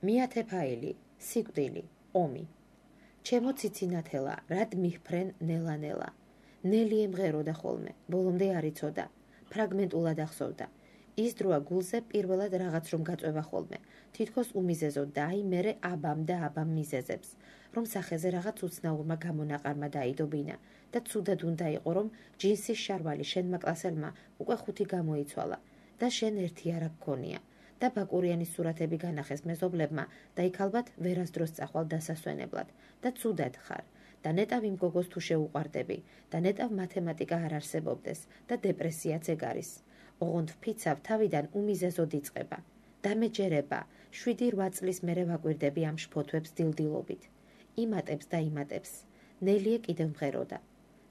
მიათე ფაილი, სიკვდილი, ომი. ჩემო ციცინათელა, რად მიჰფრენ ნელა-ნელა. ნელი ემღეროდა ხოლმე, ბოლომდე არ იცოდა, ფრაგმენტულად ახსოვდა. ის დროა გულზე პირველად რაღაც რომ გაწვევა ხოლმე, თითქოს უმიზეზოდ და აი მერე აბამ და აბამ მიზეზებს, რომ სახეზე რაღაც უცნაურმა გამონაყარმა დაიდობინა და ცუდად უნდა იყო, რომ ჯინსის შარვალი შენმა კლასელმა უკვე 5 გამოიცვალა და შენ ერთი არა გქონია და ბაკურიანის სურათები განახეს მეზობლებმა და იქ ალბათ ვერასდროს წახვალ დასასვენებლად და ცუდად ხარ და ნეტავ იმ გოგოს თუ შეუყვარდები და ნეტავ მათემატიკა არ არსებობდეს და დეპრესიაც ეგ არის. ოღონდ ვფიცავ თავიდან უმიზეზოდ იწყება. დამეჯერება, 7-8 წლის მერე ვაკვირდები ამ შფოთვებს დილდილობით. იმატებს და იმატებს. ნელიე კიდევ მღეროდა.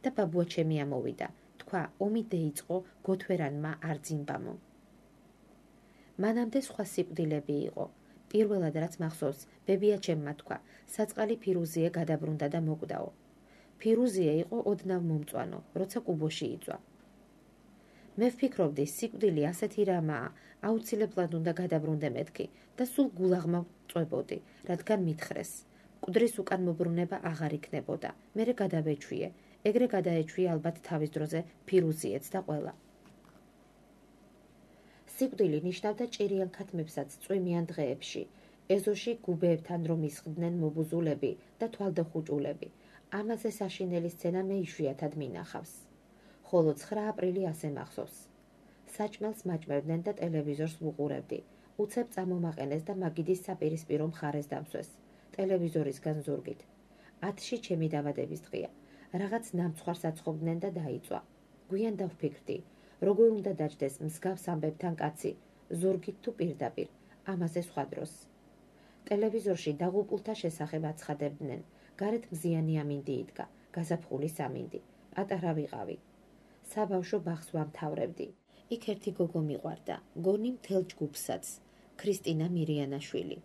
და ბაბუა ჩემი ამოვიდა. თქვა, ომი დაიწყო გოთვერანმა არძიმბამო. მანამდე სხვა სიკვდილები იყო. პირველად რაც მახსოვს, ბებია ჩემმა თქვა, საწყალი ფირუზიე გადაბრუნდა და მოკვდაო. ფირუზიე იყო ოდნავ მომწვანო, როცა კუბოში იწვა. მე ვფიქრობდი, სიკვდილი ასეთი რამაა, აუცილებლად უნდა გადაბრუნდე მეთქი და სულ გულაღმა წვებოდი, რადგან მითხრეს. მკვდრის უკან მობრუნება აღარ იქნებოდა, მერე გადავეჩვიე, ეგრე გადაეჩვიე ალბათ თავის დროზე ფირუზიეც და ყველა. სიკვდილი ნიშნავდა ჭირიან ქათმებსაც წვიმიან დღეებში, ეზოში გუბეებთან რომ ისხდნენ მობუზულები და თვალდახუჭულები. ამაზე საშინელი სცენა მე იშვიათად მინახავს. ხოლო 9 აპრილი ასე მახსოვს. საჭმელს მაჭმევდნენ და ტელევიზორს ვუყურებდი. უცებ წამომაყენეს და მაგიდის საპირისპირო მხარეს დამსვეს. ტელევიზორისგან ზურგით. 10-ში ჩემი დაბადების დღეა. რაღაც ნამცხვარს აცხობდნენ და დაიწვა. გვიან დავფიქრდი, როგორ უნდა დაჯდეს მსგავს ამბებთან კაცი, ზურგით თუ პირდაპირ, ამაზე სხვა დროს. ტელევიზორში დაღუპულთა შესახებ აცხადებდნენ. გარეთ მზიანი ამინდი იდგა, გაზაფხული სამინდი. პატარა ვიყავი. საბავშვო ბაღს ვამთავრებდი. იქ ერთი გოგო მიყვარდა, გონი მთელ ჯგუფსაც, ქრისტინა მირიანაშვილი.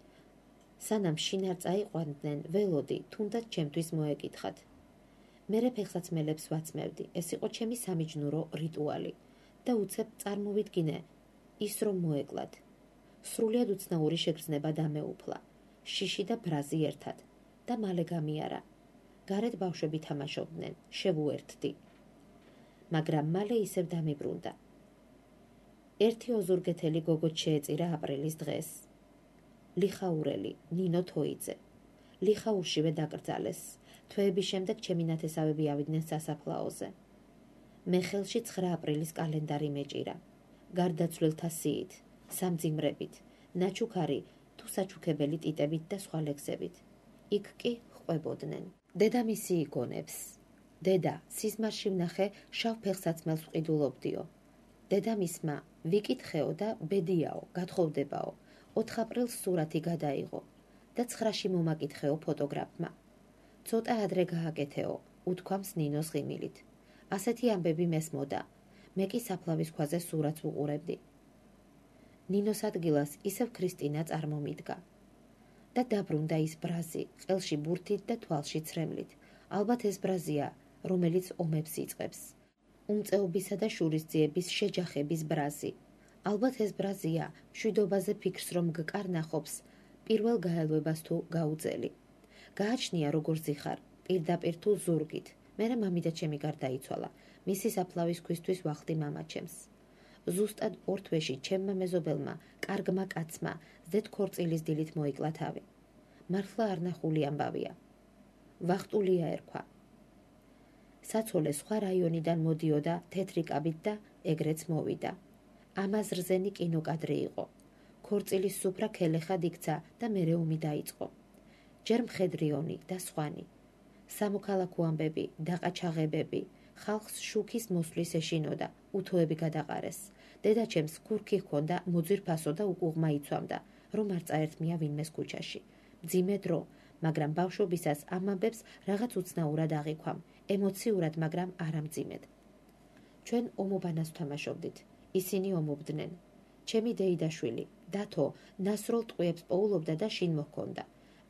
სანამ შინარ წაიყვანდნენ, ველოდი, თუნდაც ჩემთვის მოეკითხათ. მერე ფეხსაცმელებს ვაცმევდი, ეს იყო ჩემი სამიჯნურო რიტუალი და უცებ წარმოვიდგინე, ის რომ მოეკლათ. სრულიად უცნაური შეგრძნება დამეუფლა, შიში და ბრაზი ერთად და მალე გამიარა. გარეთ ბავშვები თამაშობდნენ, შევუერთდი. მაგრამ მალე ისევ დამიბრუნდა. ერთი ოზურგეთელი გოგო შეეწირა აპრილის დღეს. ლიხაურელი, ნინო თოიძე. ლიხაურშივე დაკრძალეს. თვეების შემდეგ ჩემი ნათესავები ავიდნენ სასაფლაოზე. მე ხელში 9 აპრილის კალენდარი მეჭირა. გარდაცვლილთა სიით, სამძიმრებით, ნაჩუქარი თუ საჩუქებელი ტიტებით და სხვა ლექსებით. იქ კი ყვებოდნენ. დედამისი იგონებს. დედა, სიზმარში ვნახე შავ ფეხსაცმელს ვყიდულობდიო. დედამისმა ვიკითხეო და ბედიაო, გათხოვდებაო. 4 აპრილს სურათი გადაიღო და 9-ში მომაკითხეო ფოტოგრაფმა. ცოტა ადრე გააკეთეო, უთქვამს ნინოს ღიმილით. ასეთი ამბები მესმოდა. მე კი საფლავის ქვაზე სურათს ვუყურებდი. ნინოს ადგილას ისევ ქრისტინა წარმომიდგა. და დაბრუნდა ის ბრაზი, ყელში ბურთით და თვალში ცრემლით. ალბათ ეს ბრაზია, რომელიც ომებს იწყებს. უმწეობისა და შურისძიების შეჯახების ბრაზი. ალბათ ეს ბრაზია, მშვიდობაზე ფიქრს რომ გკარნახობს, პირველ გაელვებას თუ გაუძელი. გააჩნია როგორ ზიხარ, პირდაპირ თუ ზურგით. მერე მამიდა ჩემი გარდაიცვალა. მისი საფლავის ქვისთვის ვახდი მამაჩემს. ზუსტად 2 თვეში ჩემმა მეზობელმა, კარგმა კაცმა, ზედ ქორწილის დილით მოიკლა თავი. მართლა არნახული ამბავია. ვახტულია ერქვა. საცოლე სხვა რაიონიდან მოდიოდა თეთრი კაბით და ეგრეც მოვიდა. ამაზრზენი კინოკადრი იყო. ქორწილის სუფრა ქელეხად იქცა და მერე ომი დაიწყო. ჯერ მხედრიონი და სხვანი. სამოქალაქო ამბები, დაყაჩაღებები, ხალხს შუქის მოსვლის ეშინოდა, უთოები გადაყარეს. დედაჩემს ქურქი ჰქონდა, მოძირფასო და უკუღმა იცვამდა, რომ არ წაერთმია ვინმეს ქუჩაში. მძიმე დრო, მაგრამ ბავშვობისას ამ ამბებს რაღაც უცნაურად აღიქვამ, ემოციურად, მაგრამ არამძიმედ. ჩვენ ომობანას ვთამაშობდით. ისინი ომობდნენ. ჩემი დეიდაშვილი, დათო, ნასროლ ტყვიებს პოულობდა და შინ მოჰქონდა.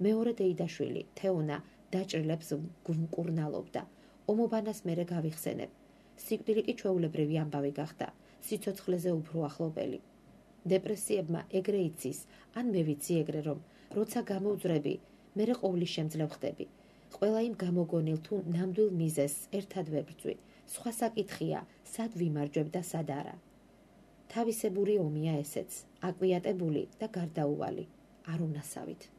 მეორე დეიდაშვილი, თეონა, დაჭრილებს გვმკურნალობდა. ომობანას მერე გავიხსენებ. სიკვდილი კი ჩვეულებრივი ამბავი გახდა, სიცოცხლეზე უფრო ახლობელი. დეპრესიებმა ეგრე იცის, ან მე ვიცი ეგრე, რომ როცა გამოვძვრები, მერე ყოვლის შემძლე ხდები. ყველა იმ გამოგონილ თუ ნამდვილ მიზეზს ერთად ვებრძვი. სხვა საკითხია, სად ვიმარჯვებ და სად არა. თავისებური ომია ესეც, აკვიატებული და გარდაუვალი, არ უნასავით.